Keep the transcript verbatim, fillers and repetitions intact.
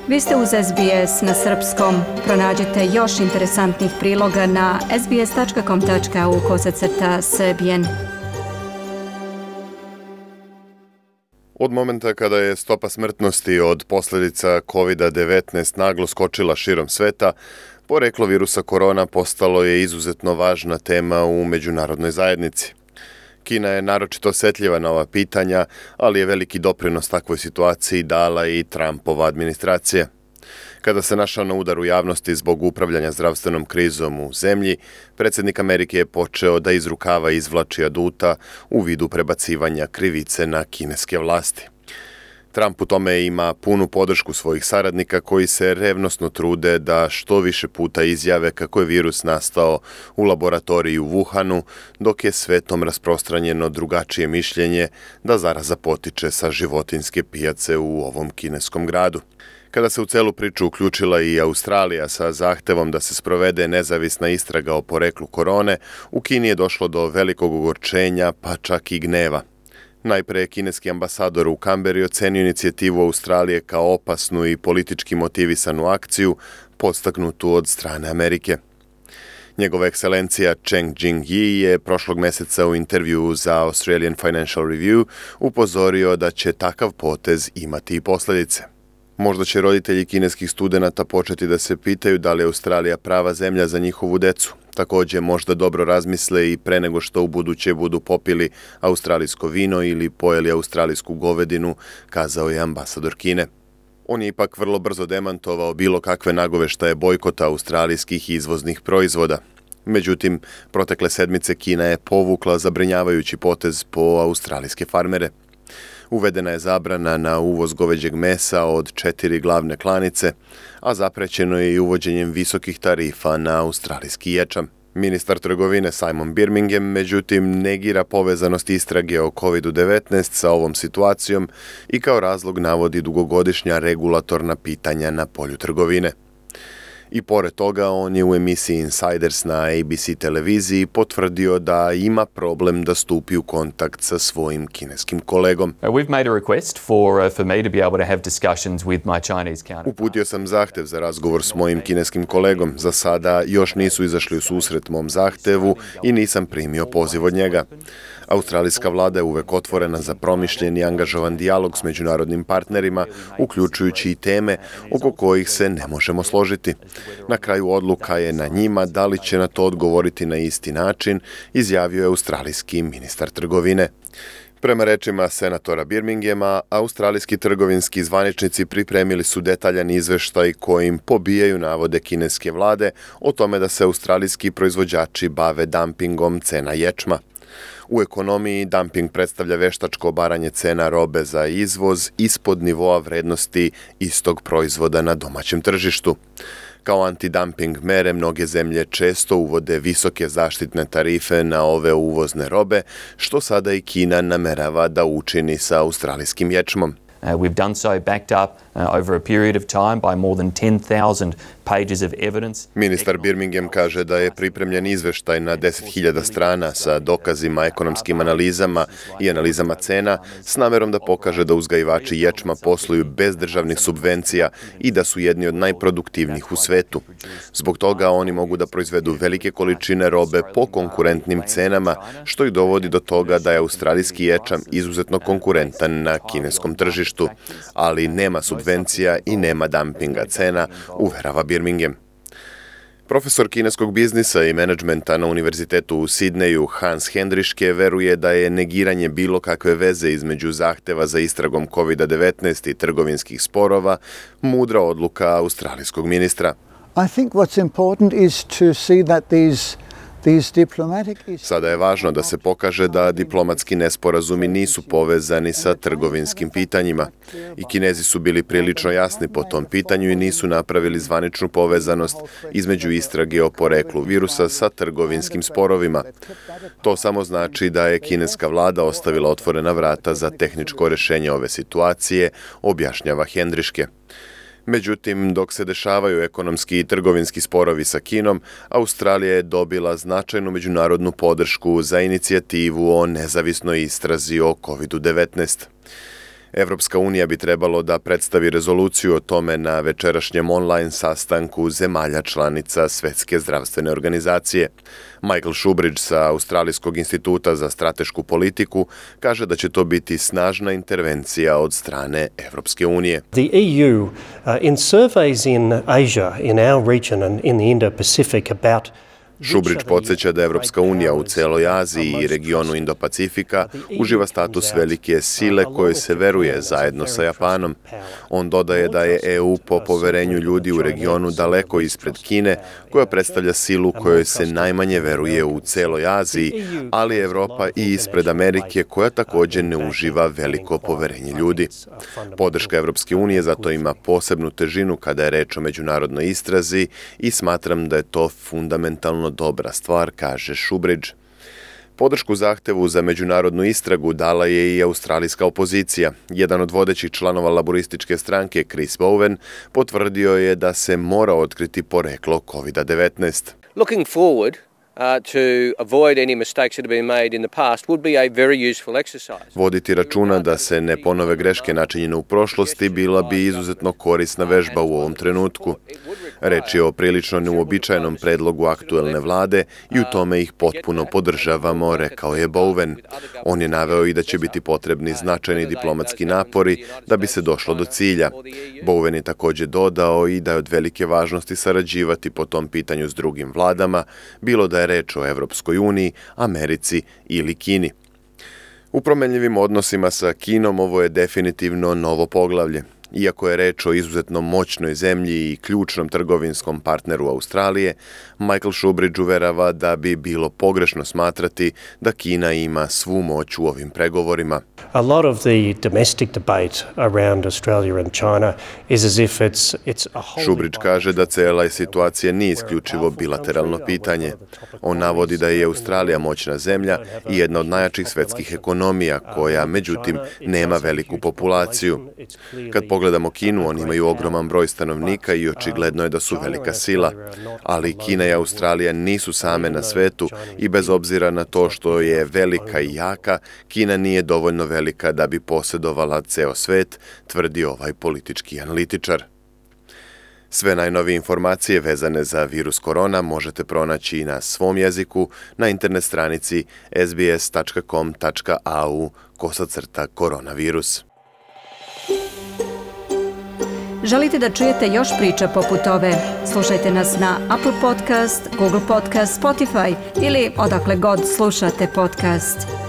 Vi ste uz S B S na srpskom. Pronađite još interesantnih priloga na sbs.com.au kosacrta srbijen. Od momenta kada je stopa smrtnosti od posljedica kovid devetnaest naglo skočila širom sveta, poreklo virusa korona postalo je izuzetno važna tema u međunarodnoj zajednici. Kina je naročito osjetljiva na ova pitanja, ali je veliki doprinos takvoj situaciji dala i Trumpova administracija. Kada se našao na udaru javnosti zbog upravljanja zdravstvenom krizom u zemlji, predsjednik Amerike je počeo da iz rukava izvlači aduta u vidu prebacivanja krivice na kineske vlasti. Trump u tome ima punu podršku svojih saradnika koji se revnosno trude da što više puta izjave kako je virus nastao u laboratoriji u Wuhanu, dok je svetom rasprostranjeno drugačije mišljenje da zaraza potiče sa životinjske pijace u ovom kineskom gradu. Kada se u celu priču uključila i Australija sa zahtevom da se sprovede nezavisna istraga o poreklu korone, u Kini je došlo do velikog ogorčenja, pa čak i gneva. Najpre je kineski ambasador u Kamberi ocenio inicijativu Australije kao opasnu i politički motivisanu akciju, podstaknutu od strane Amerike. Njegova ekscelencija Cheng Jing-yi je prošlog meseca u intervju za Australian Financial Review upozorio da će takav potez imati i posljedice. Možda će roditelji kineskih studenata početi da se pitaju da li je Australija prava zemlja za njihovu decu. Također možda dobro razmisle i pre nego što u buduće budu popili australijsko vino ili pojeli australijsku govedinu, kazao je ambasador Kine. On je ipak vrlo brzo demantovao bilo kakve nagoveštaje bojkota australijskih izvoznih proizvoda. Međutim, protekle sedmice Kina je povukla zabrinjavajući potez po australijske farmere. Uvedena je zabrana na uvoz goveđeg mesa od četiri glavne klanice, a zaprećeno je i uvođenjem visokih tarifa na australijski ječam. Ministar trgovine Simon Birmingham, međutim, negira povezanost istrage o kovid devetnaest sa ovom situacijom i kao razlog navodi dugogodišnja regulatorna pitanja na polju trgovine. I pored toga, on je u emisiji Insiders na A B C televiziji potvrdio da ima problem da stupi u kontakt sa svojim kineskim kolegom. Uputio sam zahtev za razgovor s mojim kineskim kolegom. Za sada još nisu izašli u susret mom zahtevu i nisam primio poziv od njega. Australijska vlada je uvek otvorena za promišljen i angažovan dijalog s međunarodnim partnerima, uključujući i teme oko kojih se ne možemo složiti. Na kraju odluka je na njima da li će na to odgovoriti na isti način, izjavio je australijski ministar trgovine. Prema rečima senatora Birminghama, australijski trgovinski zvaničnici pripremili su detaljan izveštaj kojim pobijaju navode kineske vlade o tome da se australijski proizvođači bave dampingom cena ječma. U ekonomiji dumping predstavlja veštačko obaranje cena robe za izvoz ispod nivoa vrednosti istog proizvoda na domaćem tržištu. Kao antidumping mere mnoge zemlje često uvode visoke zaštitne tarife na ove uvozne robe, što sada i Kina namerava da učini sa australijskim ječmom. Uh, we've done so backed up uh, over a period of time by more than ten thousand pages of evidence. Ministar Birmingham kaže da je pripremljen izveštaj na deset hiljada strana sa dokazima, ekonomskim analizama i analizama cena s namerom da pokaže da uzgajivači ječma posluju bez državnih subvencija i da su jedni od najproduktivnijih u svetu. Zbog toga oni mogu da proizvedu velike količine robe po konkurentnim cenama, što ih dovodi do toga da je australijski ječam izuzetno konkurentan na kineskom tržištu, ali nema subvencija i nema dumpinga cena, uverava Birmingham. Profesor kineskog biznisa i menadžmenta na univerzitetu u Sidneju Hans Hendriške veruje da je negiranje bilo kakve veze između zahteva za istragom kovid devetnaest i trgovinskih sporova mudra odluka australijskog ministra. I think what's important is to see that these Sada je važno da se pokaže da diplomatski nesporazumi nisu povezani sa trgovinskim pitanjima. I Kinezi su bili prilično jasni po tom pitanju i nisu napravili zvaničnu povezanost između istrage o poreklu virusa sa trgovinskim sporovima. To samo znači da je kineska vlada ostavila otvorena vrata za tehničko rješenje ove situacije, objašnjava Hendriške. Međutim, dok se dešavaju ekonomski i trgovinski sporovi sa Kinom, Australija je dobila značajnu međunarodnu podršku za inicijativu o nezavisnoj istrazi o kovid devetnaest. Evropska unija bi trebalo da predstavi rezoluciju o tome na večerašnjem online sastanku zemalja članica Svetske zdravstvene organizacije. Michael Shubridge sa Australijskog instituta za stratešku politiku kaže da će to biti snažna intervencija od strane Evropske unije. The E U, uh, in surveys in Asia, in our region and in the Indo-Pacific about Shubridge podsjeća da Evropska unija u celoj Aziji i regionu Indo-Pacifika uživa status velike sile kojoj se veruje zajedno sa Japanom. On dodaje da je E U po poverenju ljudi u regionu daleko ispred Kine, koja predstavlja silu kojoj se najmanje veruje u celoj Aziji, ali Evropa i ispred Amerike, koja također ne uživa veliko poverenje ljudi. Podrška Evropske unije zato ima posebnu težinu kada je reč o međunarodnoj istrazi i smatram da je to fundamentalno dobra stvar, kaže Shubridge. Podršku zahtevu za međunarodnu istragu dala je i australijska opozicija. Jedan od vodećih članova laborističke stranke, Chris Bowen, potvrdio je da se mora otkriti poreklo kovid devetnaest. Looking forward Uh, to avoid any mistakes that have been made in the past would be a very useful exercise. Voditi računa da se ne ponove greške načinjene u prošlosti bila bi izuzetno korisna vežba u ovom trenutku. Reč je o prilično neuobičajenom predlogu aktuelne vlade i u tome ih potpuno podržavamo, rekao je Bowen. On je naveo i da će biti potrebni značajni diplomatski napori da bi se došlo do cilja. Bowen je također dodao i da je od velike važnosti sarađivati po tom pitanju s drugim vladama, bilo da je reč o Evropskoj uniji, Americi ili Kini. U promenljivim odnosima sa Kinom ovo je definitivno novo poglavlje. Iako je reč o izuzetno moćnoj zemlji i ključnom trgovinskom partneru Australije, Michael Shubridge uverava da bi bilo pogrešno smatrati da Kina ima svu moć u ovim pregovorima. A lot of the domestic debate around Australia and China is as if it's it's a whole. Shubridge kaže da cela situacija nije isključivo bilateralno pitanje. On navodi da je Australija moćna zemlja i jedna od najjačih svetskih ekonomija koja, međutim, nema veliku populaciju. Kad pogledamo Kinu, oni imaju ogroman broj stanovnika i očigledno je da su velika sila. Ali Kina i Australija nisu same na svetu i bez obzira na to što je velika i jaka, Kina nije dovoljno velika da bi posjedovala ceo svet, tvrdi ovaj politički analitičar. Sve najnovije informacije vezane za virus korona možete pronaći i na svom jeziku na internet stranici s b s tačka com tačka a u kosacrta koronavirus. Želite da čujete još priča poput ove? Slušajte nas na Apple Podcast, Google Podcast, Spotify ili odakle god slušate podcast.